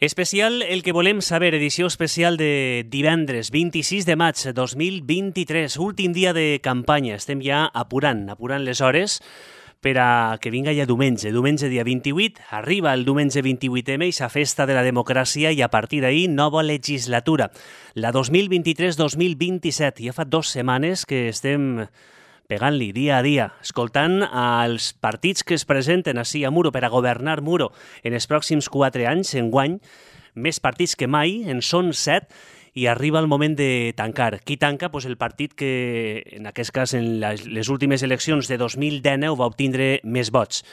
Especial El que volem saber, edició especial de divendres 26 de maig 2023, últim dia de campanya. Estem ja apurant les hores per a que vinga ja diumenge dia 28, arriba el diumenge 28M, i sa festa de la democràcia, i a partir d'ahir nova legislatura, la 2023-2027. Ja fa 2 setmanes que estem pegant-li dia a dia, escoltant als partits que es presenten ací a Muro per a governar Muro en els pròxims 4 anys, enguany, més partits que mai, en són 7, i arriba el moment de tancar. Qui tanca? Pues el partit que, en aquest cas, en les últimes eleccions de 2019 va obtindre més vots.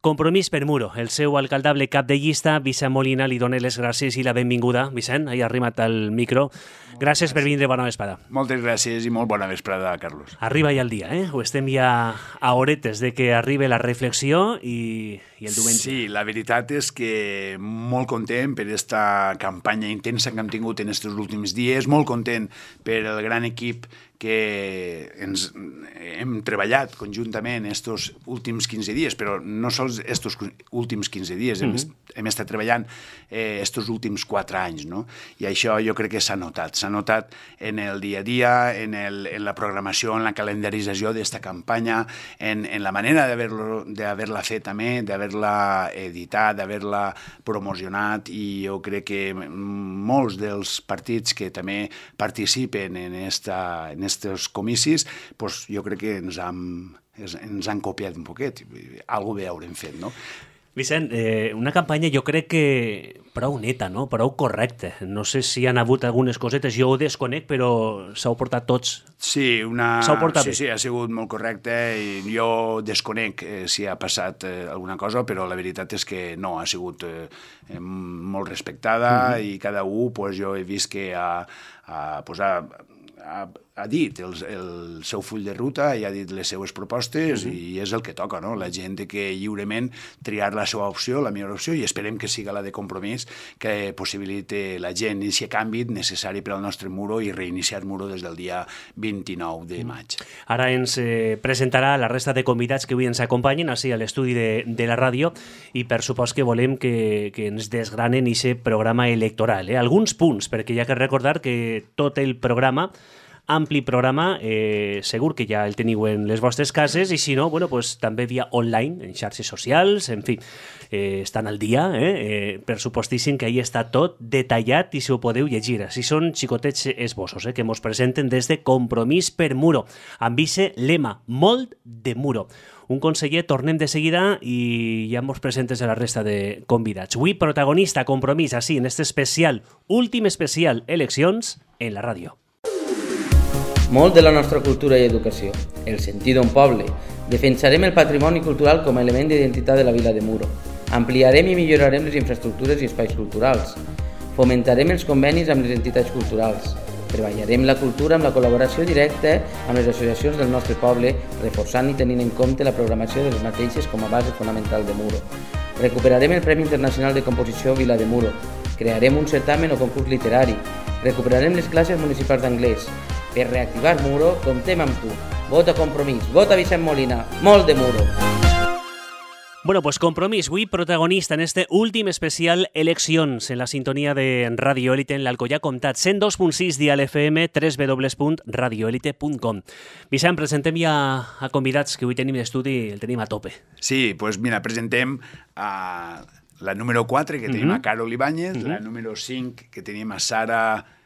Compromís per Muro. El seu alcaldable cap de llista, Vicent Molina, li dona les gràcies i la benvinguda. Vicent, ha arribat al micro. Gràcies per vindre, bona vesprada. Moltes gràcies i molt bona vesprada, Carlos. Arriba ja el dia, Ho estem ja a horetes de que arribi la reflexió i el diumenge. Sí, la veritat és que molt content per aquesta campanya intensa que hem tingut en aquests últims dies, molt content per el gran equip que ens hem treballat conjuntament estos últims 15 dies, però no sols estos últims 15 dies, hem estat treballant estos últims 4 anys, no? I això jo crec que s'ha notat en el dia a dia, en la programació, en la calendarització d'esta campanya, en la manera d'haver-la fet també, d'haver-la editat, d'haver-la promocionat, i jo crec que molts dels partits que també participen en estos comicis, pues jo crec que ens han copiat un poquet, alguna bé haurem fet, no? Vicent, una campanya jo crec que prou neta, no? Prou correcta. No sé si han hagut algunes cosetes, jo ho desconec, però s'heu portat tots. Sí, sí, ha sigut molt correcte, i jo desconec si ha passat alguna cosa, però la veritat és que no, ha sigut molt respectada, i cada un, pues, jo he vist que ha dit el seu full de ruta i ha dit les seues propostes, i és el que toca, no? La gent que lliurement triar la seva opció, la millor opció, i esperem que siga la de Compromís, que possibilite la gent i si canvi necessari per al nostre Muro i reiniciar Muro des del dia 29 de maig. Ara ens presentarà la resta de convidats que avui ens acompanyen així a l'estudi de la ràdio, i per supost que volem que ens desgranen aquest programa electoral. Alguns punts, perquè hi ha que recordar que tot el programa, ampli programa, segur que ja el teniu en les vostres cases, i si no, bueno, pues, també via online, en xarxes socials, en fi, estan al dia, per supostíssim que ahí està tot detallat i si ho podeu llegir. Si són xicotets esbossos que mos presenten des de Compromís per Muro, amb ixe lema, molt de Muro. Un conseller, tornem de seguida i ja mos presentes a la resta de convidats. Avui protagonista Compromís, així, en este especial, últim especial, eleccions, en la ràdio. Molt de la nostra cultura i educació, el sentir d'un poble. Defensarem el patrimoni cultural com a element d'identitat de la vila de Muro. Ampliarem i millorarem les infraestructures i espais culturals. Fomentarem els convenis amb les entitats culturals. Treballarem la cultura amb la col·laboració directa amb les associacions del nostre poble, reforçant i tenint en compte la programació de les mateixes com a base fonamental de Muro. Recuperarem el Premi Internacional de Composició Vila de Muro. Crearem un certamen o concurs literari. Recuperarem les classes municipals d'anglès. Per reactivar Muro, comptem amb tu. Vota Compromís, vota Vicent Molina, molt de Muro. Bueno, pues Compromís, avui protagonista en este últim especial eleccions en la sintonia de Radio Élite en l'Alcoià Comtat, 102.6 dial FM, www.radioelite.com. Vicent, presentem ja a convidats que avui tenim d'estudi, el tenim a tope. Sí, pues mira, presentem a la número 4, que tenim a Carol Ibáñez, la número 5, que tenim a Sara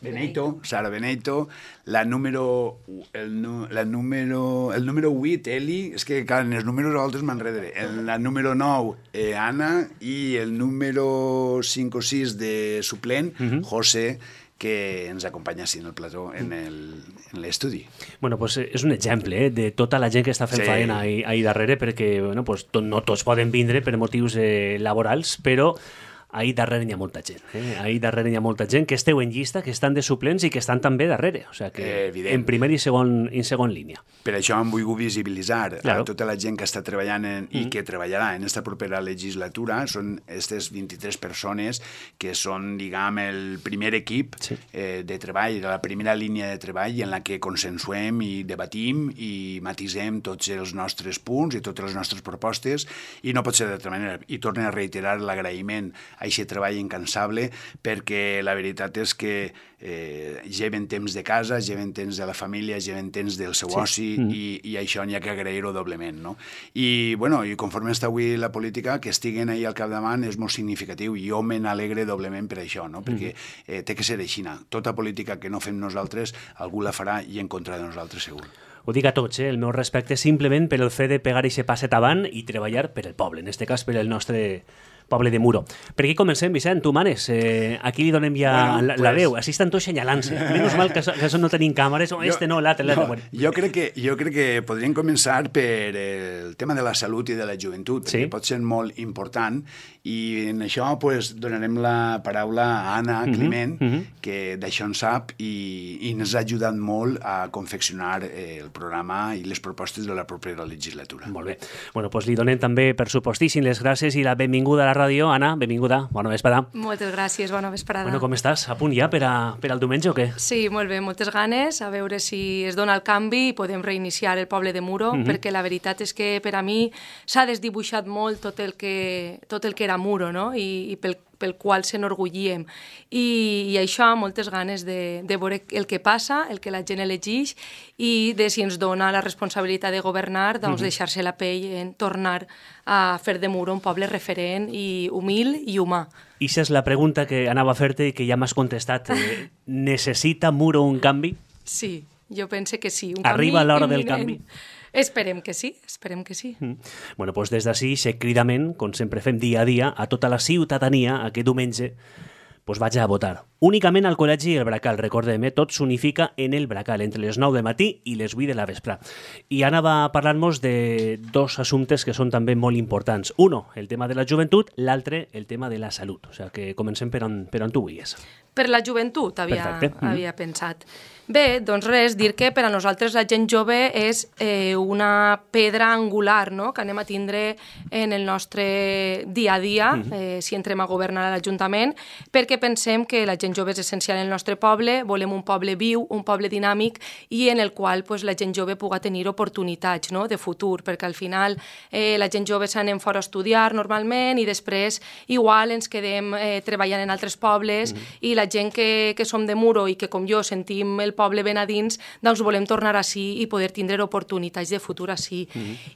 Beneito, el número 8, Eli, és que en els números altres m'enredaré, la número 9, Anna, i el número 5 o 6 de suplent, José, que ens acompanya així en el plató, en l'estudi. Bueno, pues és un exemple de tota la gent que està fent faena ahí darrere, perquè bueno, pues, no tots poden vindre per motius laborals, però ahí darrere hi ha molta gent. Ahí darrere hi ha molta gent que esteu en llista, que estan de suplents i que estan també darrere. O sigui que en primer i segon línia. Per això hem volgut visibilitzar a tota la gent que està treballant i que treballarà en aquesta propera legislatura. Són aquestes 23 persones que són, diguem, el primer equip de treball, la primera línia de treball en la que consensuem i debatim i matisem tots els nostres punts i totes les nostres propostes, i no pot ser d'altra manera. I torno a reiterar l'agraïment a aquest treball incansable, perquè la veritat és que lleven temps de casa, lleven temps de la família, lleven temps del seu oci, i això n'hi ha que agrair-ho doblement, no? I conforme està avui la política, que estiguen ahí al capdavant és molt significatiu, i jo me n'alegre doblement per això, no? Perquè té que ser així. Tota política que no fem nosaltres, algú la farà i en contra de nosaltres, segur. Ho dic a tots, el meu respecte simplement per el fet de pegar aquest passet avant i treballar per el poble, en aquest cas per el nostre poble de Muro. Per aquí comencem, Vicent, tu manes. Aquí li donem ja la veu. Així estan tots senyalant-se. Menys mal que això no tenim càmeres. No, l'altre. Jo crec que podríem començar per el tema de la salut i de la joventut, perquè pot ser molt important, i en això donarem la paraula a Anna Climent, que d'això en sap i ens ha ajudat molt a confeccionar el programa i les propostes de la propera legislatura. Molt bé. Doncs li donem també, per supostíssim, les gràcies i la benvinguda a la ràdio. Anna, benvinguda. Bona vesprada. Moltes gràcies, bona vesprada. Com estàs? A punt ja per al diumenge o què? Sí, molt bé, moltes ganes, a veure si es dona el canvi i podem reiniciar el poble de Muro, perquè la veritat és que per a mi s'ha desdibuixat molt tot el que era Muro, no? I pel qual s'enorgullíem. I això, moltes ganes de veure el que passa, el que la gent elegeix, i de si ens dona la responsabilitat de governar, doncs deixar-se la pell en tornar a fer de Muro un poble referent i humil i humà. I aquesta és la pregunta que anava a fer-te i que ja m'has contestat. Necessita Muro un canvi? Sí, jo pense que sí. Arriba l'hora del canvi? Esperem que sí, esperem que sí. Doncs des d'ací, cridament, com sempre fem dia a dia, a tota la ciutadania, aquest diumenge, vaig a votar. Únicament al Col·legi El Bracal, recordem, tot s'unifica en El Bracal, entre les 9 del matí i les 8 de la vespre. I Anna va parlar-nos de dos assumptes que són també molt importants. Uno, el tema de la joventut, l'altre, el tema de la salut. O sigui que comencem per on tu volies. Per la joventut havia pensat. Bé, doncs res, dir que per a nosaltres la gent jove és una pedra angular, no?, que anem a tindre en el nostre dia a dia, si entrem a governar a l'Ajuntament, perquè pensem que la gent jove és essencial en el nostre poble, volem un poble viu, un poble dinàmic, i en el qual la gent jove pugui tenir oportunitats, no?, de futur, perquè al final la gent jove s'anem fora a estudiar normalment i després igual ens quedem treballant en altres pobles, i la gent que som de Muro i que com jo sentim el poble ben a dins, doncs volem tornar així i poder tindre oportunitats de futur així.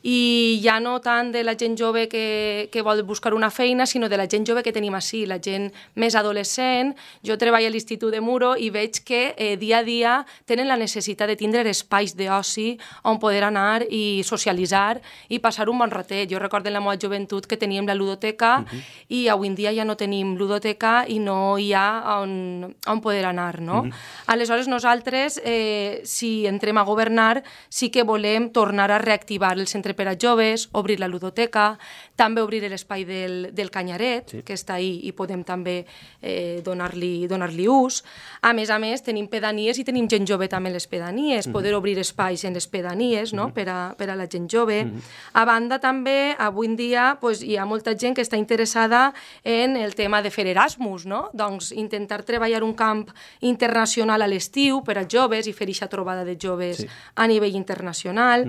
I ja no tant de la gent jove que vol buscar una feina, sinó de la gent jove que tenim així, la gent més adolescent. Jo treballo a l'Institut de Muro i veig que dia a dia tenen la necessitat de tindre espais d'oci on poder anar i socialitzar i passar un bon ratet. Jo recordo en la meva joventut que teníem la ludoteca i avui en dia ja no tenim ludoteca i no hi ha on poder anar, no? Aleshores nosaltres, si entrem a governar, sí que volem tornar a reactivar el centre per a joves, obrir la ludoteca, també obrir l'espai del Canyaret, que està ahí i podem també donar-li ús. A més, tenim pedanies i tenim gent jove també en les pedanies, poder obrir espais en les pedanies, no?, per a la gent jove. A banda, també, avui en dia, hi ha molta gent que està interessada en el tema de fer Erasmus, no? Doncs intentar treballar un camp internacional a l'estiu per als joves i fer aquesta trobada de joves a nivell internacional.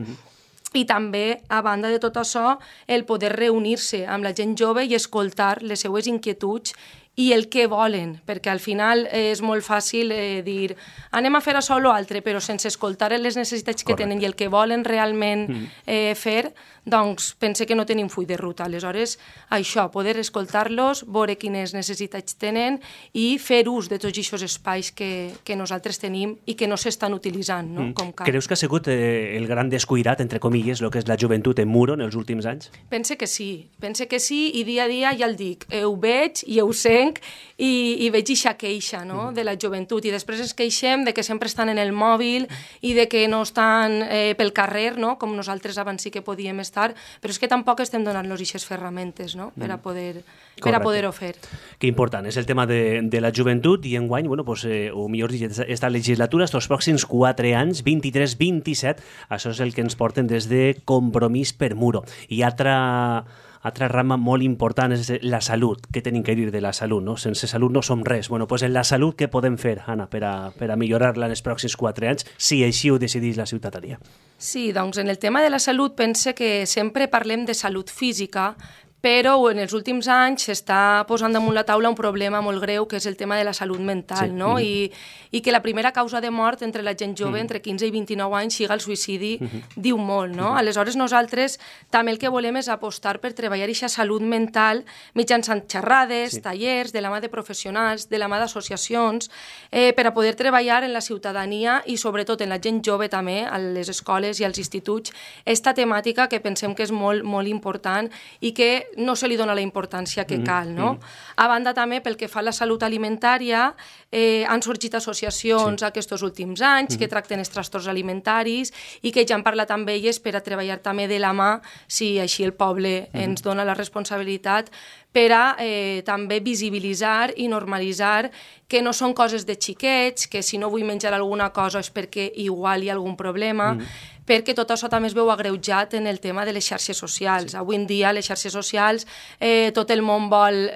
I també, a banda de tot això, el poder reunir-se amb la gent jove i escoltar les seues inquietuds i el que volen, perquè al final és molt fàcil dir anem a fer això o l'altre, però sense escoltar les necessitats que tenen i el que volen realment fer, doncs pense que no tenim full de ruta. Aleshores, això, poder escoltar-los, veure quines necessitats tenen i fer ús de tots aquests espais que nosaltres tenim i que no s'estan utilitzant, no? Com cal. Creus que ha sigut el gran descuidat, entre comilles, el que és la joventut en Muro en els últims anys? Pense que sí, i dia a dia ja el dic, ho veig i ho sent i veig aquesta queixa, no?, de la joventut, i després ens queixem de que sempre estan en el mòbil i de que no estan pel carrer, no?, com nosaltres abans sí que podíem estar, però és que tampoc estem donant-los aquestes ferramentes, no?, per a poder-ho fer. Que important, és el tema de la joventut, i enguany, o millor dit, esta legislatura, estos pròxims 4 anys, 23-27, això és el que ens porten des de Compromís per Muro. I altra rama molt important és la salut. Què tenim que dir de la salut, no? Sense salut no som res. En la salut què podem fer, Anna, per a millorar-la en els pròxims 4 anys, si així ho decidís la ciutadania? Sí, doncs en el tema de la salut pense que sempre parlem de salut física, però en els últims anys s'està posant damunt la taula un problema molt greu, que és el tema de la salut mental, no? I que la primera causa de mort entre la gent jove, entre 15 i 29 anys, siga el suïcidi, diu molt, no? Aleshores, nosaltres també el que volem és apostar per treballar aquesta salut mental mitjançant xerrades, tallers, de la mà de professionals, de la mà d'associacions, per a poder treballar en la ciutadania i sobretot en la gent jove també, a les escoles i als instituts, esta temàtica que pensem que és molt, molt important i que no se li dona la importància que cal, no? A banda també, pel que fa a la salut alimentària, han sorgit associacions aquests últims anys que tracten els trastorns alimentaris i que ja han parlat amb elles per a treballar també de la mà, si així el poble ens dona la responsabilitat, per a també visibilitzar i normalitzar que no són coses de xiquets, que si no vull menjar alguna cosa és perquè igual hi ha algun problema, perquè tot això també es veu agreujat en el tema de les xarxes socials. Avui en dia, les xarxes socials, tot el món vol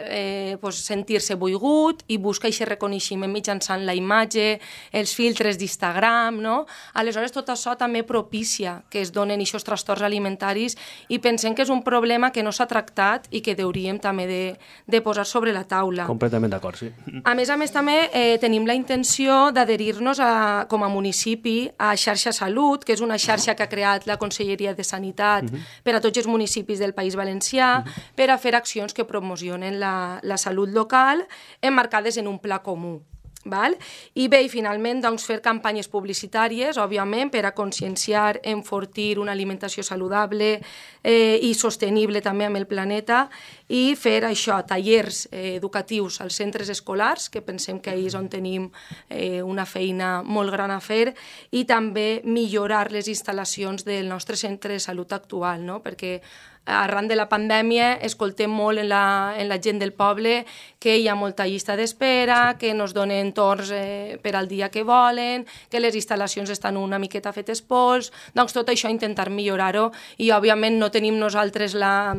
sentir-se volgut i busca aquest reconeixement mitjançant la imatge, els filtres d'Instagram, no? Aleshores, tot això també propicia que es donen aquests trastorns alimentaris i pensem que és un problema que no s'ha tractat i que hauríem també de posar sobre la taula. Completament d'acord, sí. A més, també tenim la intenció d'adherir-nos com a municipi a Xarxa Salut, que és una xarxa que ha creat la Conselleria de Sanitat per a tots els municipis del País Valencià, per a fer accions que promocionen la salut local emmarcades en un pla comú. Val? I bé, i finalment, doncs, fer campanyes publicitàries, òbviament, per a conscienciar, enfortir una alimentació saludable i sostenible també amb el planeta, i fer això, tallers educatius als centres escolars, que pensem que ahir és on tenim una feina molt gran a fer, i també millorar les instal·lacions del nostre centre de salut actual, no? Perquè arran de la pandèmia escoltem molt en la gent del poble que hi ha molta llista d'espera, que no es donen torns per al dia que volen, que les instal·lacions estan una miqueta fetes pols, doncs tot això intentar millorar-ho i òbviament no tenim nosaltres la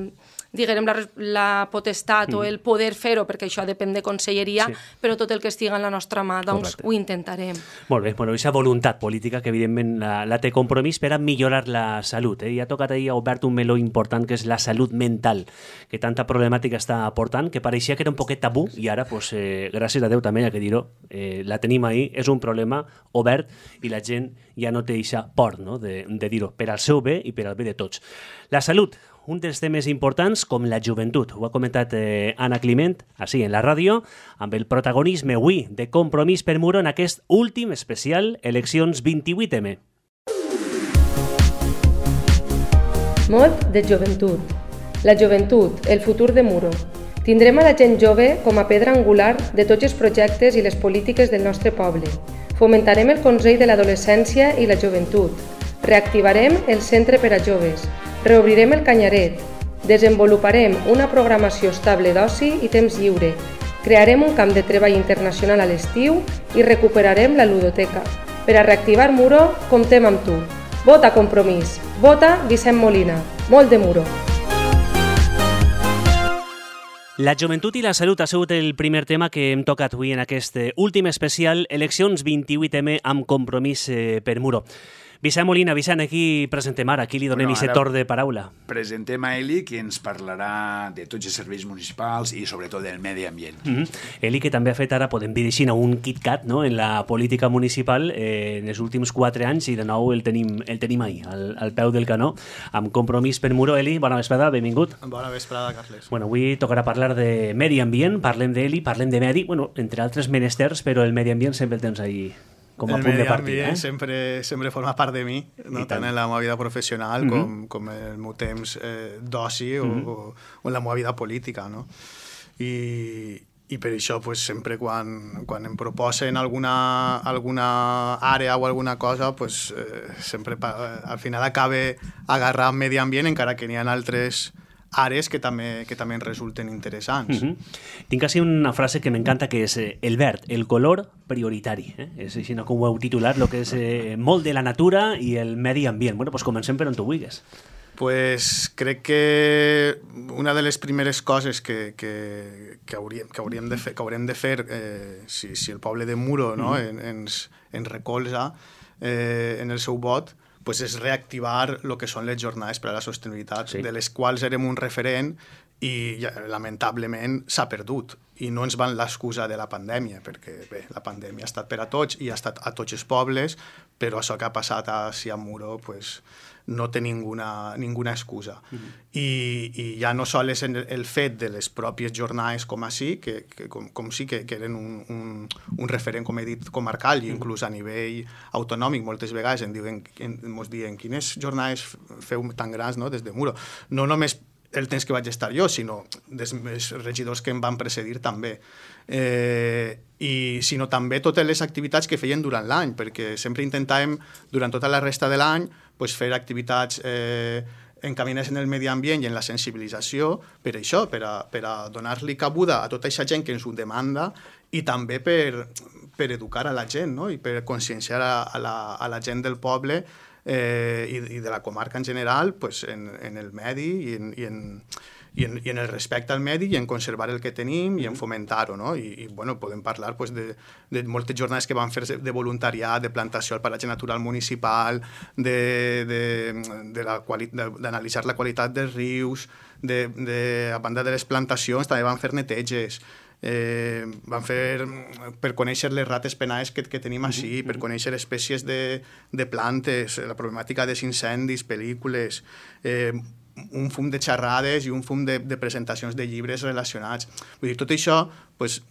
potestat o el poder fer-ho, perquè això depèn de conselleria, però tot el que estigui en la nostra mà, doncs ho intentarem. Molt bé, bueno, aquesta voluntat política que evidentment la té Compromís per a millorar la salut. I ha tocat ahir, ha obert un meló important que és la salut mental, que tanta problemàtica està aportant, que pareixia que era un poquet tabú i ara, gràcies a Déu també, ja que dir-ho, la tenim ahir, és un problema obert i la gent ja no té aquesta por, no?, de dir-ho, per al seu bé i per al bé de tots. La salut, un dels temes importants com la joventut. Ho ha comentat Anna Climent, així en la ràdio, amb el protagonisme avui de Compromís per Muro en aquest últim especial Eleccions 28M. Mot de joventut. La joventut, el futur de Muro. Tindrem a la gent jove com a pedra angular de tots els projectes i les polítiques del nostre poble. Fomentarem el consell de l'adolescència i la joventut. Reactivarem el centre per a joves. Reobrirem el Canyaret, desenvoluparem una programació estable d'oci i temps lliure, crearem un camp de treball internacional a l'estiu i recuperarem la ludoteca. Per a reactivar Muro, comptem amb tu. Vota Compromís, vota Vicent Molina, molt de Muro. La joventut i la salut ha sigut el primer tema que hem tocat avui en aquest últim especial Eleccions 28M amb Compromís per Muro. Vicent Molina, Vicent, aquí presentem ara, aquí li donem aquest torn de paraula. Presentem a Eli, que ens parlarà de tots els serveis municipals i sobretot del medi ambient. Eli, que també ha fet ara, podem dir així, un KitKat, no?, en la política municipal en els últims 4 anys i de nou el tenim ahí, al peu del canó, amb Compromís per Muro. Eli, bona vesprada, benvingut. Bona vesprada, Carles. Bueno, avui tocarà parlar de medi ambient, parlem d'Eli, parlem de medi, bueno, entre altres menesters, però el medi ambient sempre el tens ahí com a punt de partida. El medi ambient sempre forma part de mi, no? Tant en la meva vida professional com en el meu temps d'oci o en la meva vida política, no? I per això pues, sempre quan em proposen alguna àrea o alguna cosa, pues, sempre al final acabe agarrant medi ambient, encara que n'hi ha altres àrees que també ens resulten interessants. Tinc així una frase que m'encanta, que és el verd, el color prioritari. És així com ho heu titulat, el que és molt de la natura i el medi ambient. Bueno, doncs comencem per on tu vulguis. Pues crec que una de les primeres coses que haurem de fer si el poble de Muro, no, ens recolza en el seu vot, pues és reactivar el que són les jornades per a la sostenibilitat, de les quals érem un referent i lamentablement s'ha perdut. I no ens van l'excusa de la pandèmia, perquè bé, la pandèmia ha estat per a tots i ha estat a tots els pobles, però això que ha passat a Siamuro pues, no té ninguna excusa. I ja no sol és el fet de les pròpies jornades com així, com sí que eren un referent, com he dit, comarcal, i inclús a nivell autonòmic moltes vegades ens diuen quines jornades feu tan grans, no?, des de Muro. No només el temps que vaig estar jo, sinó dels regidors que em van precedir també. Sinó també totes les activitats que feien durant l'any, perquè sempre intentàvem, durant tota la resta de l'any, fer activitats encaminades en el medi ambient i en la sensibilització per això, per a donar-li cabuda a tota aquesta gent que ens ho demanda i també per educar a la gent, no?, i per conscienciar a la gent del poble i de la comarca en general pues, en el medi i en el respecte al medi i en conservar el que tenim i en fomentar-ho, no? I bueno, podem parlar pues, de moltes jornades que van fer de voluntariat, de plantació al paratge natural municipal, d'analitzar la qualitat dels rius, a banda de les plantacions també van fer neteges, van fer per conèixer les rates penades que tenim així, per conèixer espècies de plantes, la problemàtica dels incendis, pel·lícules, un fum de xerrades i un fum de presentacions de llibres relacionats. Vull dir, tot això pues,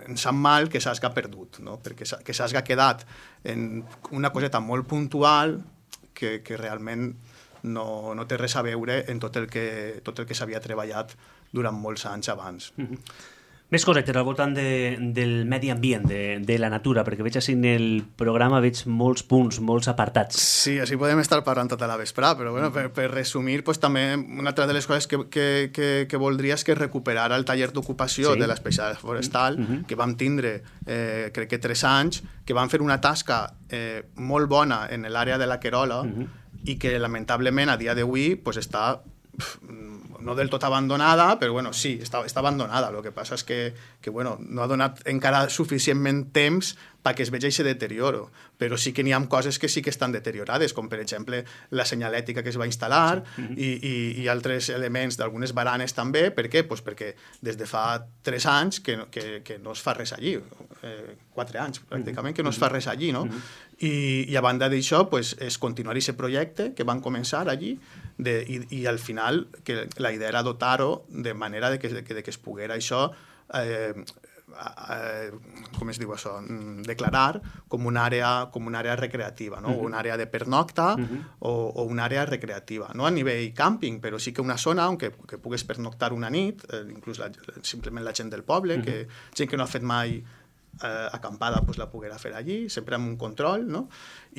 ens sap mal que s'hagi perdut, no? Perquè que s'hagi quedat en una coseta molt puntual que realment no té res a veure en tot el que s'havia treballat durant molts anys abans. Més correcte, al voltant del medi ambient, de la natura, perquè veig així en el programa veig molts punts, molts apartats. Sí, així podem estar parlant tota la vesprada, però bueno, per resumir, pues, també una altra de les coses que voldria és que recuperara el taller d'ocupació de l'especialitat forestal, que vam tindre, crec que 3 anys, que van fer una tasca molt bona en l'àrea de la Querola i que lamentablement a dia d'avui pues, està no del tot abandonada, però bueno, sí, està abandonada. El que passa és que bueno, no ha donat encara suficientment temps perquè es vegi aquest deterioro, però sí que n'hi ha coses que sí que estan deteriorades, com per exemple la senyalètica que es va instal·lar i altres elements d'algunes baranes també. Per què? Pues perquè des de fa 3 anys que no es fa res allí, 4 anys pràcticament que no es fa res allí, no? I a banda d'això pues, és continuar aquest projecte que van començar allí i al final que la idea era dotar-ho de manera de que es poguera això com es diu això, declarar com una àrea recreativa, no? Una àrea de pernocta o una àrea recreativa, no a nivell càmping, però sí que una zona on que pugues pernoctar una nit, inclús simplement la gent del poble, gent que no ha fet mai acampada pues, la poguera fer allí, sempre amb un control, no?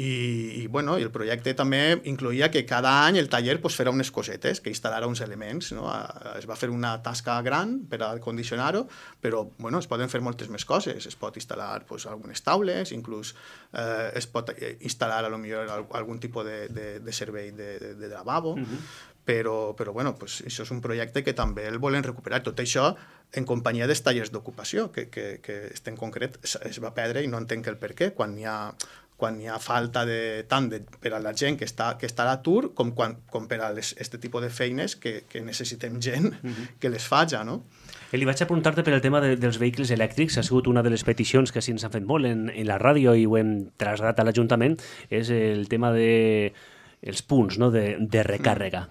I bueno, el projecte també incloïa que cada any el taller pues, farà unes cosetes, que instal·larà uns elements, no? Es va fer una tasca gran per a condicionar-ho, però bueno, es poden fer moltes més coses, es pot instal·lar pues, algunes taules, inclús es pot instal·lar a lo millor algun tipus de servei de lavabo, però bueno, pues, això és un projecte que també el volen recuperar. Tot això en companyia dels tallers d'ocupació, que en concret es va perdre i no entenc el per què, quan hi ha falta tant per a la gent que està a l'atur com per a aquest tipus de feines que necessitem gent que les faci, no? Eli, vaig a preguntar-te per el tema dels vehicles elèctrics. Ha sigut una de les peticions que sí ens han fet molt en la ràdio i ho hem traslladat a l'Ajuntament, és el tema dels punts, no? de recàrrega.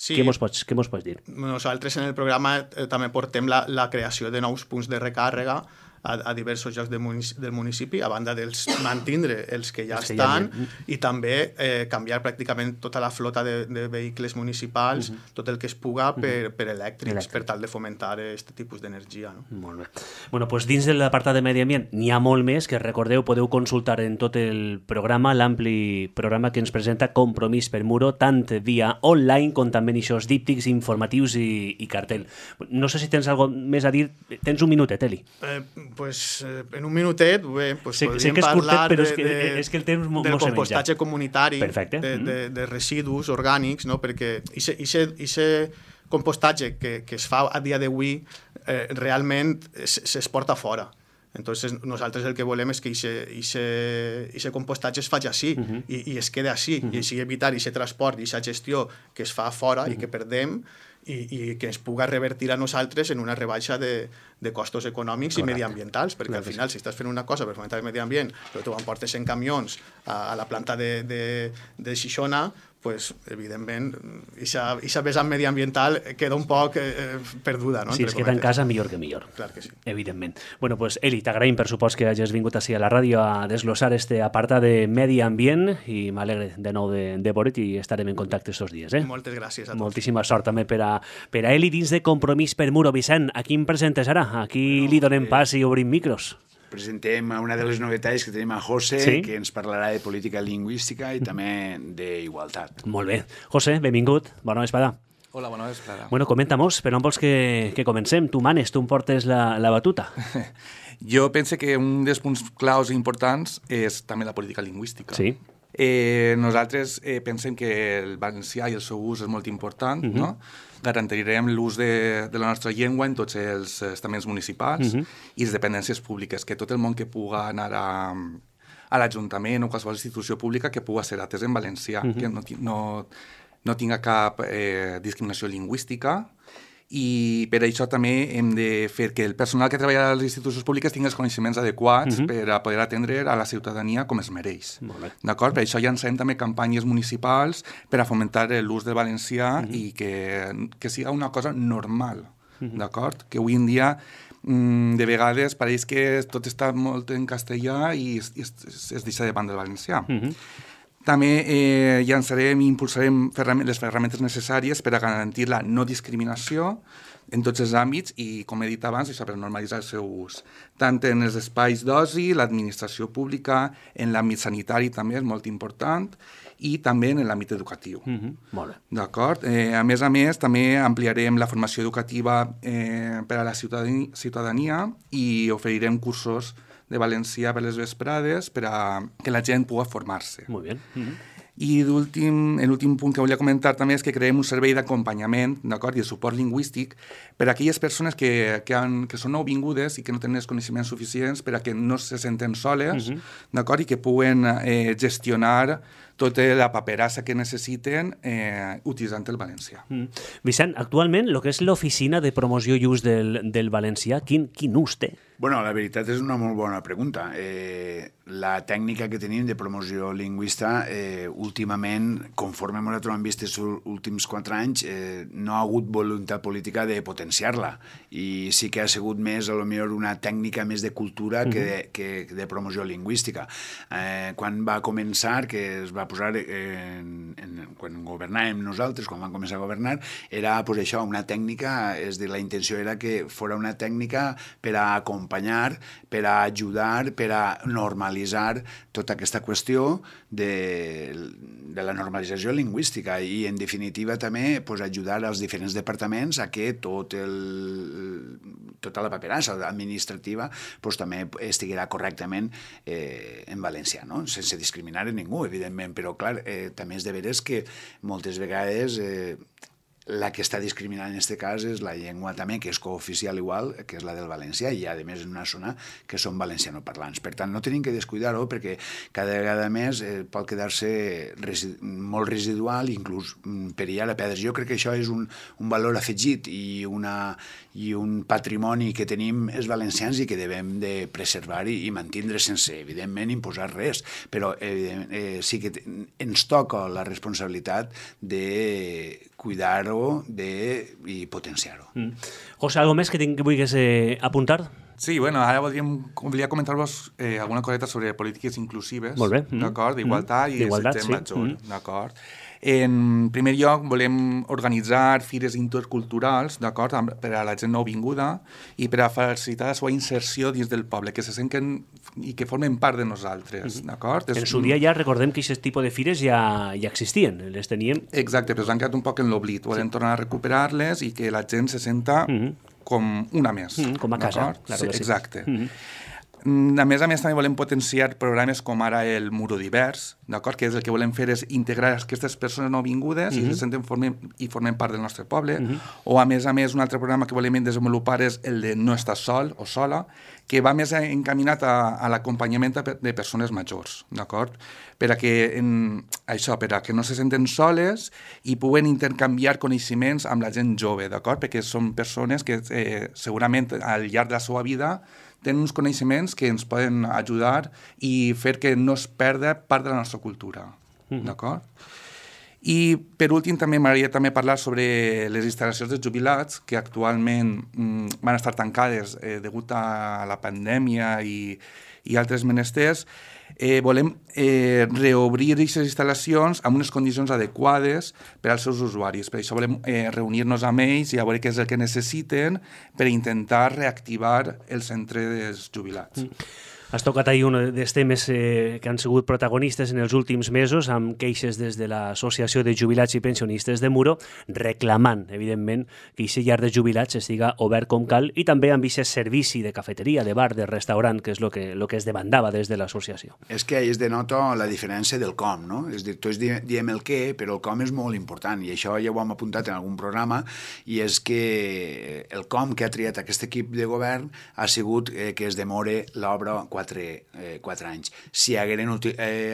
Sí. Què mos pots dir? Nosaltres en el programa també portem la creació de nous punts de recàrrega a diversos llocs del municipi, a banda dels mantindre els que ja estan i també canviar pràcticament tota la flota de vehicles municipals, tot el que es puga per elèctrics, per tal de fomentar aquest tipus d'energia. No? Molt bé. Bueno, doncs dins de l'apartat de medi ambient n'hi ha molt més, que recordeu, podeu consultar en tot el programa, l'ampli programa que ens presenta Compromís per Muro, tant via online com també en aquests díptics informatius i cartell. No sé si tens alguna cosa més a dir. Tens un minutet, Eli. Pues, en un minutet pues, sé podríem que és parlar curtet, però és que el temps del compostatge comunitari, de residus orgànics, no? Perquè aquest compostatge que es fa a dia d'avui realment s'exporta fora. Entonces nosaltres el que volem és que aquest compostatge es faci així i es quedi així, i així evitar aquest transport i aquesta gestió que es fa fora i que perdem i que ens puga revertir a nosaltres en una rebaixa de costos econòmics i mediambientals, perquè al final, si estàs fent una cosa per fomentar el medi ambient, però tu emportes en camions a la planta de Xixona, pues, evidentment, aquesta vessant mediambiental queda un poc perduda. No? Si es queda en casa, millor que millor. Clar que sí. Evidentment. Bueno, pues, Eli, t'agraïm, per supost, que hagis vingut així a la ràdio a desglossar este apartat de medi ambient i m'alegre de nou de veure't i estarem en contacte estos dies. Moltes gràcies a tots. Moltíssima sort també per a Eli dins de Compromís per Muro. Vicent, a qui em presentes ara? A qui li donem pas i obrim micros? Presentem una de les novetats que tenim a José, sí? Que ens parlarà de política lingüística i també d'igualtat. Molt bé. José, benvingut. Bona vesprada. Hola, bona vesprada. Bueno, comenta-mos, per on vols que comencem? Tu manes, tu em portes la batuta. Jo pense que un dels punts claus importants és també la política lingüística. Sí. Nosaltres pensem que el valencià i el seu ús és molt important, no? Garantirem l'ús de la nostra llengua en tots els estaments municipals i les dependències públiques, que tot el món que puga anar a l'Ajuntament o qualsevol institució pública que puga ser atès en valencià, que no tinga cap discriminació lingüística, i per això també hem de fer que el personal que treballa a les institucions públiques tingui els coneixements adequats per a poder atendre a la ciutadania com es mereix. D'acord? Per això llancem també campanyes municipals per a fomentar l'ús del valencià i que siga una cosa normal. D'acord? Que avui en dia de vegades pareix que tot està molt en castellà i es deixa de banda el valencià. També llançarem i impulsarem les ferramentes necessàries per a garantir la no discriminació en tots els àmbits i, com he dit abans, això per normalitzar el seu ús. Tant en els espais d'oci, l'administració pública, en l'àmbit sanitari també és molt important i també en l'àmbit educatiu. Molt bé. D'acord? A més, també ampliarem la formació educativa per a la ciutadania i oferirem cursos de valencià per les vesprades per a que la gent pugui formar-se. Molt bé. I l'últim punt que volia comentar també és que creem un servei d'acompanyament, d'acord, i de suport lingüístic per a aquelles persones que són nouvingudes i que no tenen els coneixements suficients per a que no se senten soles, d'acord, i que puguen gestionar tota la paperassa que necessiten utilitzant el valencià. Vicent, actualment, el que és l'oficina de promoció i ús del valencià, quin ús té? Bueno, la veritat és una molt bona pregunta. La tècnica que tenim de promoció lingüista, últimament, conforme ens hem vist els últims 4 anys, no ha hagut voluntat política de potenciar-la. I sí que ha sigut més, a lo millor, una tècnica més de cultura que de promoció lingüística. Quan va començar, que es va posar, quan governàvem nosaltres, quan vam començar a governar, era pues, això, una tècnica, és a dir, la intenció era que fos una tècnica per a acompanyar, per a ajudar, per a normalitzar tota aquesta qüestió de la normalització lingüística i, en definitiva, també pues, ajudar als diferents departaments a que tota la paperassa administrativa pues, també estiguera correctament en valencià, no? Sense discriminar a ningú, evidentment, però, clar, també és de veres que moltes vegades la que està discriminant en aquest cas és la llengua també, que és cooficial igual, que és la del valencià, i a més en una zona que són valencianoparlants. Per tant, no tenim que descuidar-ho perquè cada vegada més pot quedar-se molt residual, inclús perillar a perdre. Jo crec que això és un valor afegit i un patrimoni que tenim els valencians i que devem de preservar i mantindre sense, evidentment, imposar res. Però sí que ens toca la responsabilitat de cuidar-ho i potenciar-ho. José, algo més que vulguis apuntar? Sí, bueno, ara volia comentar-vos alguna coseta sobre polítiques inclusives, d'acord, d'igualtat i de sexe major, d'acord. En primer lloc, volem organitzar fires interculturals, d'acord, per a la gent nouvinguda i per a facilitar la seva inserció dins del poble, que se senten i que formen part de nosaltres, d'acord? En su dia ja recordem que aquest tipus de fires ja existien, les teníem... Exacte, però s'han quedat un poc en l'oblit. Volem tornar a recuperar-les i que la gent se senta com una més. Com a casa, claro que sí. Exacte. A més també volem potenciar programes com ara el Muro Divers, d'acord? Que és el que volem fer és integrar aquestes persones nouvingudes i se senten i formen part del nostre poble. O, a més, un altre programa que volem desenvolupar és el de No estàs sol o sola, que va més encaminat a l'acompanyament de persones majors, d'acord? Per a que no se senten soles i puguen intercanviar coneixements amb la gent jove, d'acord? Perquè són persones que segurament al llarg de la seva vida tenen uns coneixements que ens poden ajudar i fer que no es perda part de la nostra cultura, d'acord? I, per últim, també m'agradaria també parlar sobre les instal·lacions de jubilats que actualment van estar tancades degut a la pandèmia i altres menesters. Volem reobrir aquestes instal·lacions amb unes condicions adequades per als seus usuaris. Per això volem reunir-nos amb ells i a veure què és el que necessiten per intentar reactivar el centre dels jubilats. Has tocat ahir un dels temes que han sigut protagonistes en els últims mesos amb queixes des de l'Associació de Jubilats i Pensionistes de Muro reclamant, evidentment, que aquest llar de jubilats estiga obert com cal i també amb aquest servici de cafeteria, de bar, de restaurant, que és el que es demandava des de l'associació. És que ahí es denota la diferència del com, no? És dir, tots diem el què, però el com és molt important i això ja ho hem apuntat en algun programa i és que el com que ha triat aquest equip de govern ha sigut que es demore l'obra 4 anys. Si hagueren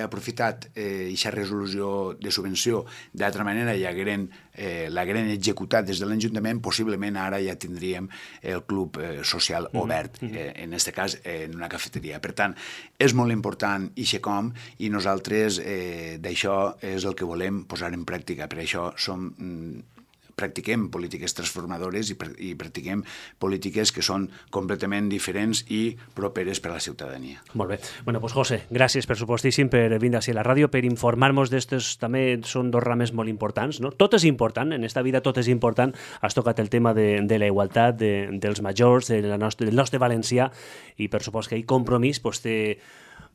aprofitat aquesta resolució de subvenció d'altra manera i l'hagueren executat des de l'Ajuntament, possiblement ara ja tindríem el club social obert, en aquest cas en una cafeteria. Per tant, és molt important i com i nosaltres d'això és el que volem posar en pràctica. Per això practiquem polítiques transformadores i practiquem polítiques que són completament diferents i properes per a la ciutadania. Molt bé. Bueno, pues José, gràcies per supostíssim per vindre a la ràdio, per informar-nos d'estos, també són dos rames molt importants, no? Tot és important, en esta vida tot és important. Has tocat el tema de la igualtat, dels majors, del nostre valencià, i per supòs que hi compromís pues, té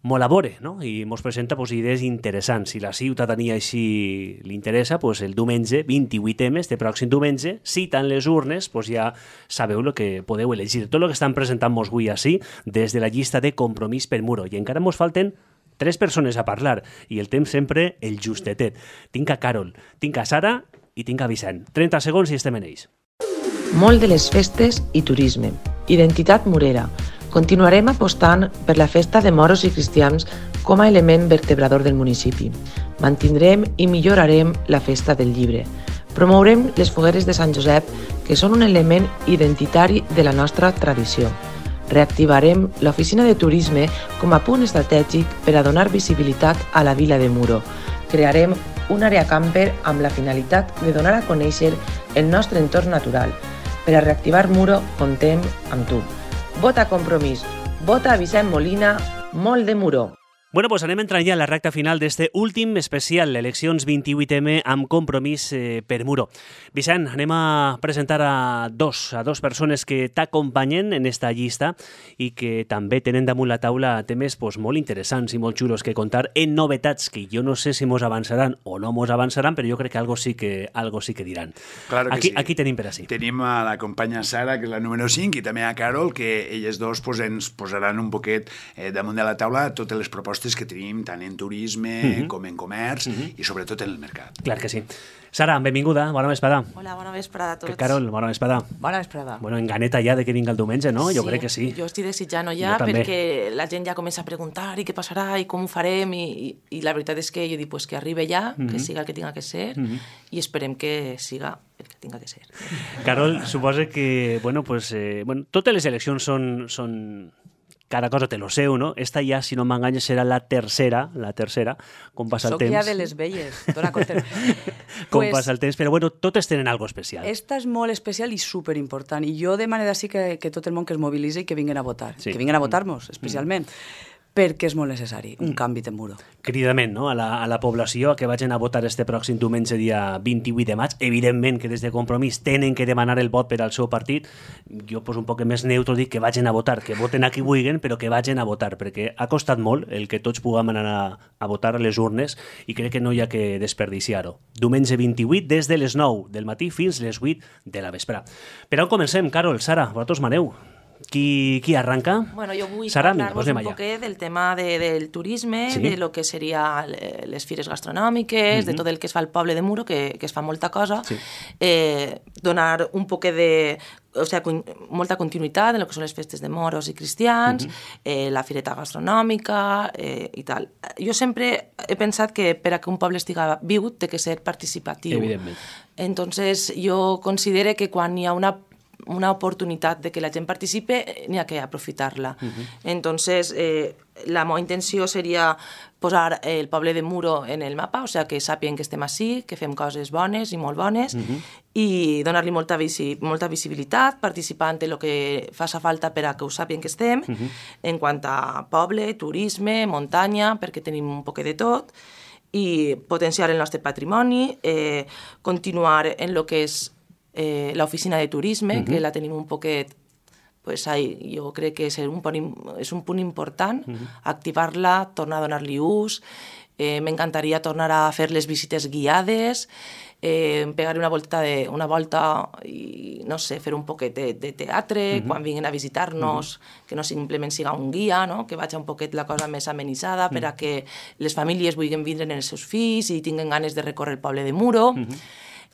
molt a veure, no? I ens presenta idees interessants. Si la ciutadania així li interessa, el diumenge 28M, este pròxim diumenge, citant les urnes, ja sabeu el que podeu elegir. Tot el que estan presentant-nos avui així, des de la llista de Compromís per Muro. I encara ens falten 3 persones a parlar, i el temps sempre el justetet. Tinc a Carol, tinc a Sara i tinc a Vicent. 30 segons i estem en ells. Molt de les festes i turisme. Identitat murera. Continuarem apostant per la festa de moros i cristians com a element vertebrador del municipi. Mantindrem i millorarem la festa del llibre. Promourem les fogueres de Sant Josep, que són un element identitari de la nostra tradició. Reactivarem l'oficina de turisme com a punt estratègic per a donar visibilitat a la vila de Muro. Crearem una àrea camper amb la finalitat de donar a conèixer el nostre entorn natural. Per a reactivar Muro, contem amb tu. Vota Compromís, vota Vicent Molina, molt de Muro. Bueno, pues anem entrant ja a la recta final d'este últim especial, eleccions 28M amb Compromís per Muro. Vicent, anem a presentar a dos persones que t'acompanyen en esta llista i que també tenen damunt la taula temes molt interessants i molt xulos que contar en novetats que jo no sé si mos avançaran o no mos avançaran, però jo crec que algo sí que diran. Claro que sí. Aquí tenim per així. Tenim a la companya Sara, que és la número 5, i també a Carol, que elles dos ens posaran un poquet damunt de la taula totes les propostes que tenim tant en turisme com en comerç i sobretot en el mercat. Clar que sí. Sara, benvinguda, bona vesprada. Hola, bona vesprada a tots. Carol, bona vesprada. Bona vesprada. Bueno, en ganeta ja de que vinga el diumenge, no? Sí, jo crec que sí. Jo estic desitjant-ho ja perquè la gent ja comença a preguntar i què passarà i com ho farem i la veritat és que jo dic pues, que arribi ja, que siga el que tinga que ser i esperem que siga el que tinga que ser. Carol, suposa que totes les eleccions són cada cosa té lo seu, no? Esta ja, si no m'enganya, serà la tercera, com passa el temps. Soc ja de les velles, dona compte. Com passa el temps, però bueno, totes tenen algo especial. Esta és molt especial i superimportant, i jo demano d'ací que tot el món que es mobilitzi i que vinguen a votar, que vinguen a votar-nos, especialment. Perquè és molt necessari, un canvi de Muro. Cridament, no?, a la població que vagin a votar este pròxim diumenge dia 28 de maig. Evidentment que des de Compromís tenen que demanar el vot per al seu partit. Jo, un poc més neutro, dic que vagin a votar, que voten a qui vulguin, però que vagin a votar, perquè ha costat molt el que tots puguem anar a votar a les urnes i crec que no hi ha que desperdiciar-ho. Diumenge 28, des de les 9 del matí fins les 8 de la vespre. Per on comencem, Carol, Sara, vosaltres maneu? Qui arranca? Bueno, jo vull Sara, parlar-vos un poquet del tema del turisme, de lo que seria les fires gastronòmiques, de tot el que es fa al poble de Muro, que es fa molta cosa, donar un poquet de... O sigui, molta continuïtat en el que són les festes de moros i cristians, la fireta gastronòmica i tal. Jo sempre he pensat que per a que un poble estiga viu té que ser participatiu. Evidentment. Entonces, jo considero que quan hi ha una oportunitat de que la gent participe, n'hi ha que aprofitar-la. Entonces, la meva intenció seria posar el poble de Muro en el mapa, o sigui, que sàpien que estem ací, que fem coses bones i molt bones, i donar-li molta visibilitat, participant en el que faci falta per a que ho sàpien que estem, en quant a poble, turisme, muntanya, perquè tenim un poc de tot, i potenciar el nostre patrimoni, continuar en el que és l'oficina de turisme, que la tenim un poquet, pues jo crec que és un punt important, activar-la, tornar a donar-li ús, m'encantaria tornar a fer les visites guiades, pegar una volta i, no sé, fer un poquet de teatre, quan vinguin a visitar-nos, que no simplement siga un guia, no? Que vagi un poquet la cosa més amenitzada per a que les famílies vulguin vindre amb els seus fills i tinguin ganes de recórrer el poble de Muro.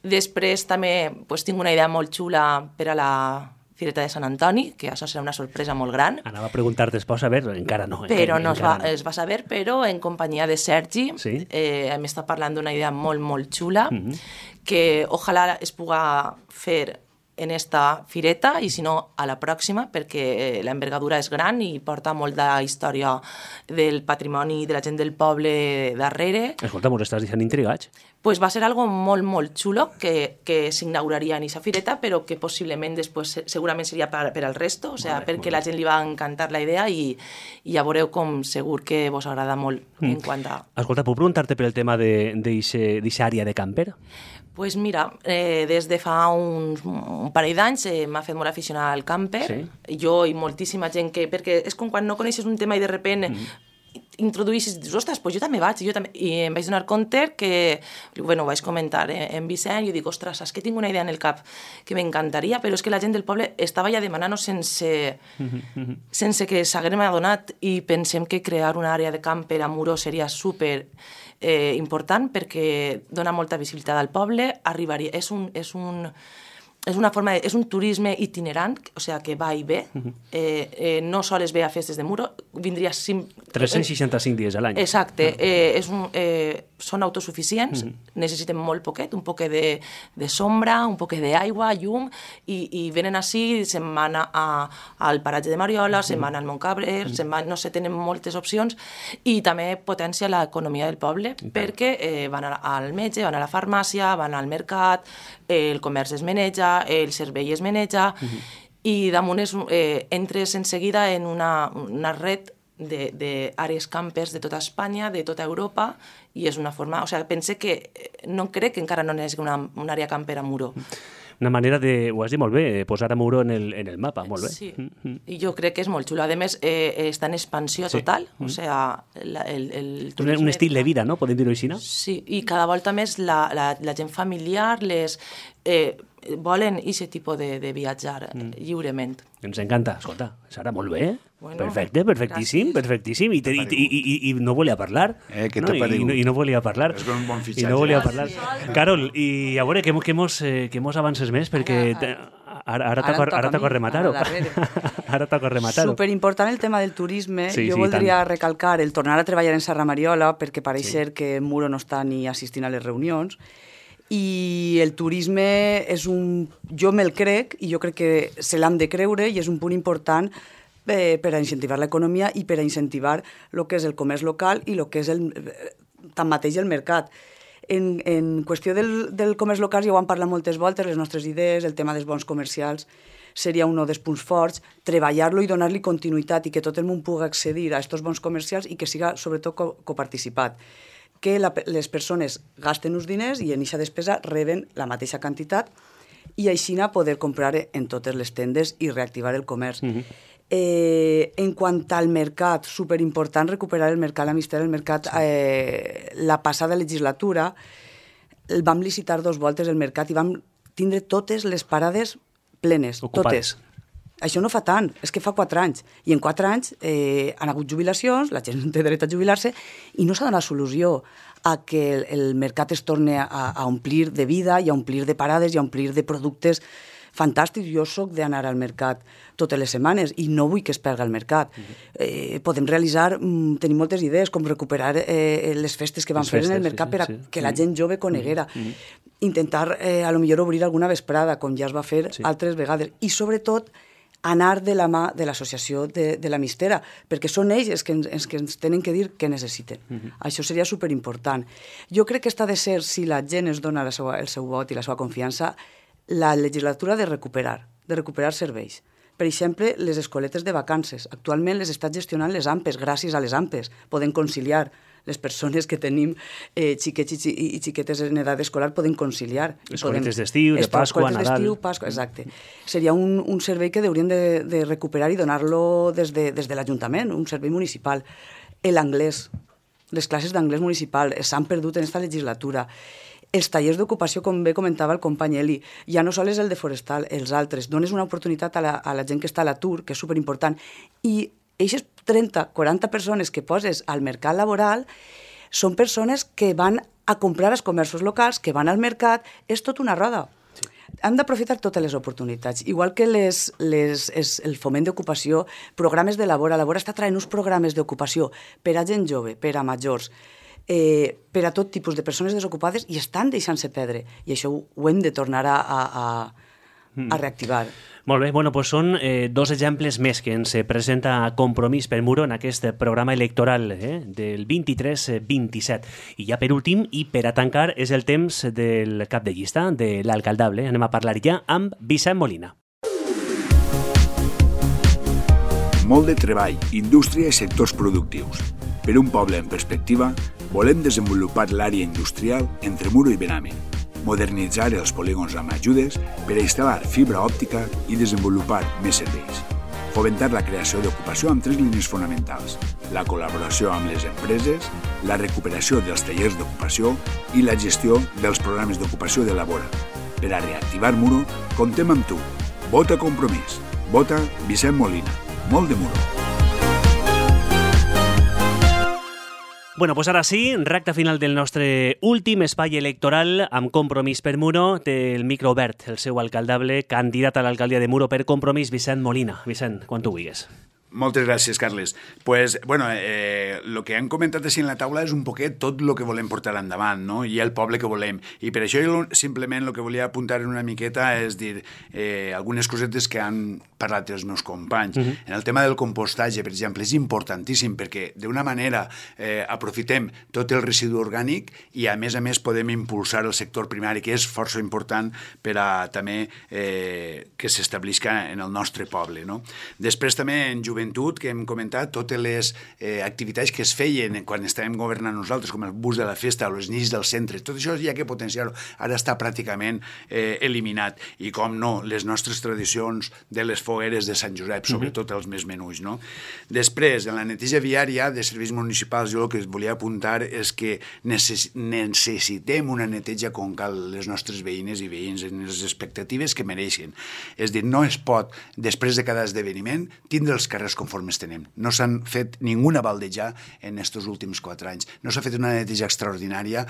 Després també tinc una idea molt xula per a la Fireta de Sant Antoni, que això serà una sorpresa molt gran. Anava a preguntar després, a veure, encara no. Però no es va saber, però en companyia de Sergi hem estat parlant d'una idea molt, molt xula, que ojalà es puga fer en esta fireta i si no a la pròxima, perquè l'envergadura és gran i porta molta història del patrimoni de la gent del poble darrere. Escolta, m'ho estàs deixant intrigats. Pues va ser algo molt, molt xulo que s'inauguraria en aquesta fireta, però que possiblement després segurament seria per al resto, o sigui, perquè la gent li va encantar la idea i ja veureu com segur que vos agrada molt en quant a... Escolta, puc preguntar-te per el tema d'aquesta àrea de camper? Pues mira, des de fa un parell d'anys m'ha fet molt aficionar al camper, jo i moltíssima gent que... Perquè és com quan no coneixes un tema i de repente introduïssis i dius, ostres, pues jo també vaig, i em vaig donar compte que, bueno, ho vaig comentar en Vicent, i jo dic, ostres, saps que tinc una idea en el cap que m'encantaria, però és que la gent del poble estava ja demanant-ho sense que s'haguem adonat, i pensem que crear una àrea de camper a Muro seria super important perquè dona molta visibilitat al poble, arribaria, és un turisme itinerant, o sigui, que va i ve, no sols ve a festes de Muro, vindria... 365 dies a l'any. Exacte, són autosuficients, necessiten molt poquet, un poquet de sombra, un poquet d'aigua, llum, i venen així, se'n van al paratge de Mariola, se'n van al Montcabrer, no sé, tenen moltes opcions, i també potencia l'economia del poble, perquè van al metge, van a la farmàcia, van al mercat, el comerç es maneja, el servei es maneja, i damunt entres en seguida en una red d'àrees campers de tota Espanya, de tota Europa, i és una forma... O sigui, pense que no crec que encara no n'hi hagi una àrea camper a Muro. Una manera de, ho has dit molt bé, posar a Muro en el mapa, molt bé. Sí, i jo crec que és molt xulo. A més, està en expansió total, o sigui... Un estil de vida, no? Podem dir-ho així, no? Sí, i cada volta més la gent familiar volen aquest tipus de viatjar lliurement. Ens encanta. Escolta, Sara, molt bé. Perfecte, perfectíssim, perfectíssim. I no volia parlar. Què t'apariu? I no volia parlar. És un bon fitxatge. I no volia parlar. Carol, i a veure, que mos avances més, perquè ara toca rematar-ho. Ara toca rematar-ho. Superimportant el tema del turisme. Jo voldria recalcar el tornar a treballar en Serra Mariola, perquè pareix ser que Muro no està ni assistint a les reunions, i el turisme jo me'l crec, i jo crec que se l'han de creure, i és un punt important per a incentivar l'economia i per a incentivar el que és el comerç local i el que és tanmateix el mercat. En qüestió del comerç local ja ho han parlat moltes voltes, les nostres idees, el tema dels bons comercials seria un dels punts forts, treballar-lo i donar-li continuïtat i que tot el món pugui accedir a aquests bons comercials i que siga sobretot coparticipat. Que les persones gasten uns diners i en aquesta despesa reben la mateixa quantitat i així poder comprar en totes les tendes i reactivar el comerç. En quant al mercat, superimportant recuperar el mercat, l'amistat del mercat. La passada legislatura vam licitar 2 voltes el mercat i vam tindre totes les parades plenes, totes. Això no fa tant, és que fa 4 anys. I en 4 anys han hagut jubilacions, la gent té dret a jubilar-se, i no s'ha donat solució a que el mercat es torni a omplir de vida i a omplir de parades i a omplir de productes fantàstics. Jo soc d'anar al mercat totes les setmanes i no vull que es perdi el mercat. Podem realitzar, tenim moltes idees, com recuperar les festes que van fer en el mercat per a que la gent jove coneguera. Intentar, a lo millor, obrir alguna vesprada, com ja es va fer altres vegades. I, sobretot, anar de la mà de l'associació de la Mistera, perquè són ells els que ens tenen que dir què necessiten. Això seria superimportant. Jo crec que està de ser, si la gent es dona el seu vot i la seva confiança, la legislatura de recuperar serveis. Per exemple, les escoletes de vacances. Actualment les està gestionant les AMPEs. Gràcies a les AMPEs podem conciliar. Les persones que tenim xiquets i xiquetes en edat escolar poden conciliar. Escoletes d'estiu, de Pasqua, Nadal... Exacte. Seria un servei que haurien de recuperar i donar-lo des de l'Ajuntament, un servei municipal. L'anglès, les classes d'anglès municipal s'han perdut en aquesta legislatura. Els tallers d'ocupació, com bé comentava el company Eli, ja no sols el de forestal, els altres. Dones una oportunitat a la gent que està a l'atur, que és superimportant, i aquestes 30, 40 persones que poses al mercat laboral són persones que van a comprar als comerços locals, que van al mercat, és tot una roda. Sí. Hem d'aprofitar totes les oportunitats. Igual que el foment d'ocupació, programes de Labora. Labora està traient uns programes d'ocupació per a gent jove, per a majors, per a tot tipus de persones desocupades i estan deixant-se perdre. I això ho hem de tornar a reactivar. Molt bé, bueno, doncs són 2 exemples més que ens presenta Compromís per Muro en aquest programa electoral del 23-27. I ja per últim, i per a tancar, és el temps del cap de llista, de l'alcaldable. Anem a parlar ja amb Vicent Molina. Molt de treball, indústria i sectors productius. Per un poble en perspectiva, volem desenvolupar l'àrea industrial entre Muro i Bename, modernitzar els polígons amb ajudes per a instal·lar fibra òptica i desenvolupar més serveis. Fomentar la creació d'ocupació amb 3 línies fonamentals: la col·laboració amb les empreses, la recuperació dels tallers d'ocupació i la gestió dels programes d'ocupació de Labora. Per a reactivar Muro, comptem amb tu. Vota Compromís. Vota Vicent Molina. Molt de Muro. Bueno, pues ara sí, recta final del nostre últim espai electoral amb Compromís per Muro. Té el micro obert el seu alcaldable, candidat a l'alcaldia de Muro per Compromís, Vicent Molina. Vicent, quan tu vulguis. Moltes gràcies, Carles. Pues, bueno, el que han comentat així en la taula és un poquet tot el que volem portar endavant, no? I el poble que volem. I per això jo simplement el que volia apuntar una miqueta és dir algunes cosetes que han parlat els meus companys. En el tema del compostatge, per exemple, és importantíssim perquè d'una manera aprofitem tot el residu orgànic i a més podem impulsar el sector primari, que és força important per a també que s'establisca en el nostre poble, no? Després també en joventut, que hem comentat, totes les activitats que es feien quan estàvem governant nosaltres, com el bus de la festa o les nits del centre, tot això hi ha que potenciar-ho. Ara està pràcticament eliminat. I com no, les nostres tradicions de les fogueres de Sant Josep, sobretot els més menuts, no? Després, en la neteja viària de serveis municipals, jo el que volia apuntar és que necessitem una neteja com cal les nostres veïnes i veïns en les expectatives que mereixen. És dir, no es pot, després de cada esdeveniment, tindre els carrers conforme tenem. No s'han fet ningú baldejar en aquests últims 4 anys. No s'ha fet una neteja extraordinària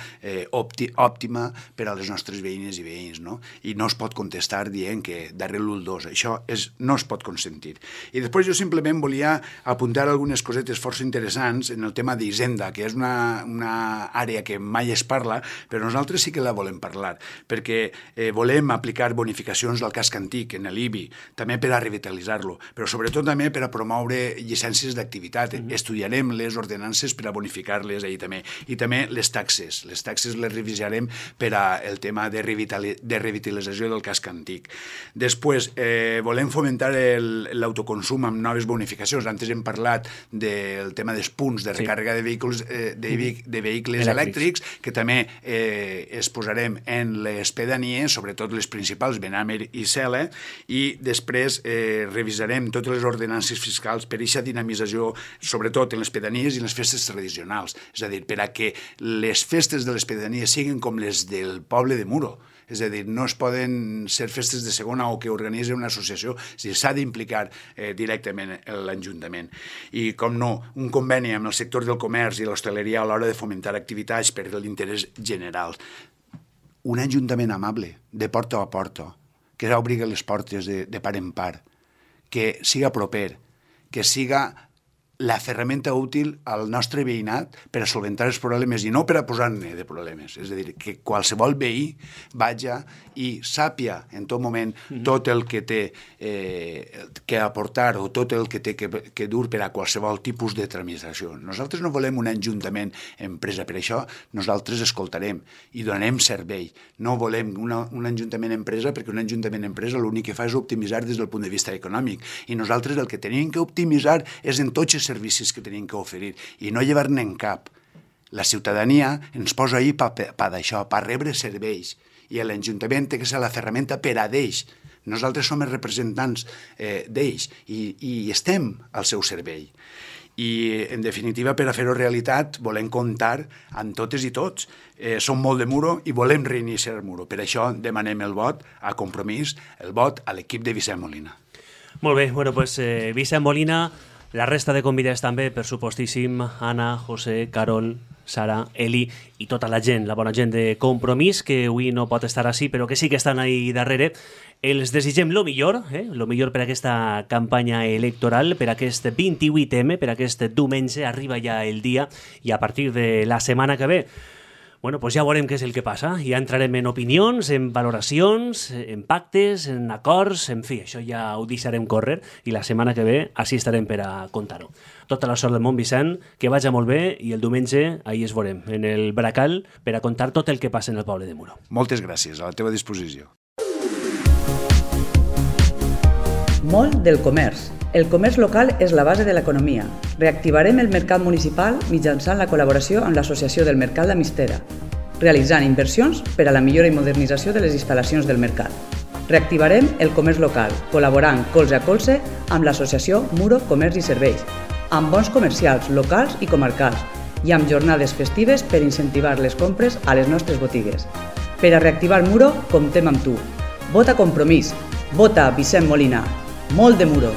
òptima per a les nostres veïnes i veïns, no? I no es pot contestar dient que darrere l'1-2. Això no es pot consentir. I després jo simplement volia apuntar algunes cosetes força interessants en el tema d'Hisenda, que és una àrea que mai es parla, però nosaltres sí que la volem parlar, perquè volem aplicar bonificacions del casc antic en l'IBI, també per a revitalitzar-lo, però sobretot també per a promoure llicències d'activitat. Estudiarem les ordenances per a bonificar-les ahir també. I també les taxes. Les taxes les revisarem per al tema de revitalització del casc antic. Després, volem fomentar l'autoconsum amb noves bonificacions. Antes hem parlat del tema dels punts de recàrrega de vehicles elèctrics, que també es posarem en les pedanies, sobretot les principals, Benàmer i Cela, i després revisarem totes les ordenances fiscals per a aquesta dinamització, sobretot en les pedanies i en les festes tradicionals. És a dir, per a que les festes de les pedanies siguin com les del poble de Muro. És a dir, no es poden ser festes de segona o que organitzi una associació, s'ha d'implicar directament l'Ajuntament. I, com no, un conveni amb el sector del comerç i l'hostaleria a l'hora de fomentar activitats per l'interès general. Un ajuntament amable, de porta a porta, que obri les portes de part en part, que siga proper, que siga la ferramenta útil al nostre veïnat per a solventar els problemes i no per a posar-ne de problemes. És a dir, que qualsevol veí vagi i sàpia en tot moment tot el que té que aportar o tot el que té que dur per a qualsevol tipus de tramitació. Nosaltres no volem un ajuntament empresa, per això nosaltres escoltarem i donarem servei. No volem un ajuntament empresa perquè un ajuntament empresa l'únic que fa és optimitzar des del punt de vista econòmic i nosaltres el que tenim que optimitzar és en tots els servicis que tenim que oferir i no llevar-ne en cap. La ciutadania ens posa ahí per d'això, per rebre serveis i l'Ajuntament té que ser la ferramenta per a d'ells. Nosaltres som els representants d'ells i estem al seu servei. I, en definitiva, per a fer-ho realitat, volem comptar amb totes i tots. Som molt de Muro i volem reiniciar el Muro. Per això demanem el vot a Compromís, el vot a l'equip de Vicent Molina. Molt bé, doncs Vicent Molina, la resta de convidats també, per supostíssim, Anna, José, Carol, Sara, Eli i tota la gent, la bona gent de Compromís, que avui no pot estar així, però que sí que estan ahí darrere. Els desitgem lo millor per aquesta campanya electoral, per aquest 28M, per aquest diumenge, arriba ja el dia, i a partir de la setmana que ve, pues ja veurem què és el que passa. Ja entrarem en opinions, en valoracions, en pactes, en acords, en fi, això ja ho deixarem córrer i la setmana que ve així estarem per a contar-ho. Tota la sort del món, Vicent, que vagi molt bé i el diumenge ahí es veurem, en el Bracal, per a contar tot el que passa en el poble de Muro. Moltes gràcies, a la teva disposició. Molt del comerç. El comerç local és la base de l'economia. Reactivarem el mercat municipal mitjançant la col·laboració amb l'Associació del Mercat d'Amistera, realitzant inversions per a la millora i modernització de les instal·lacions del mercat. Reactivarem el comerç local, col·laborant colze a colze amb l'Associació Muro Comerç i Serveis, amb bons comercials locals i comarcals i amb jornades festives per incentivar les compres a les nostres botigues. Per a reactivar Muro, comptem amb tu. Vota Compromís. Vota Vicent Molina. Molt de Muro.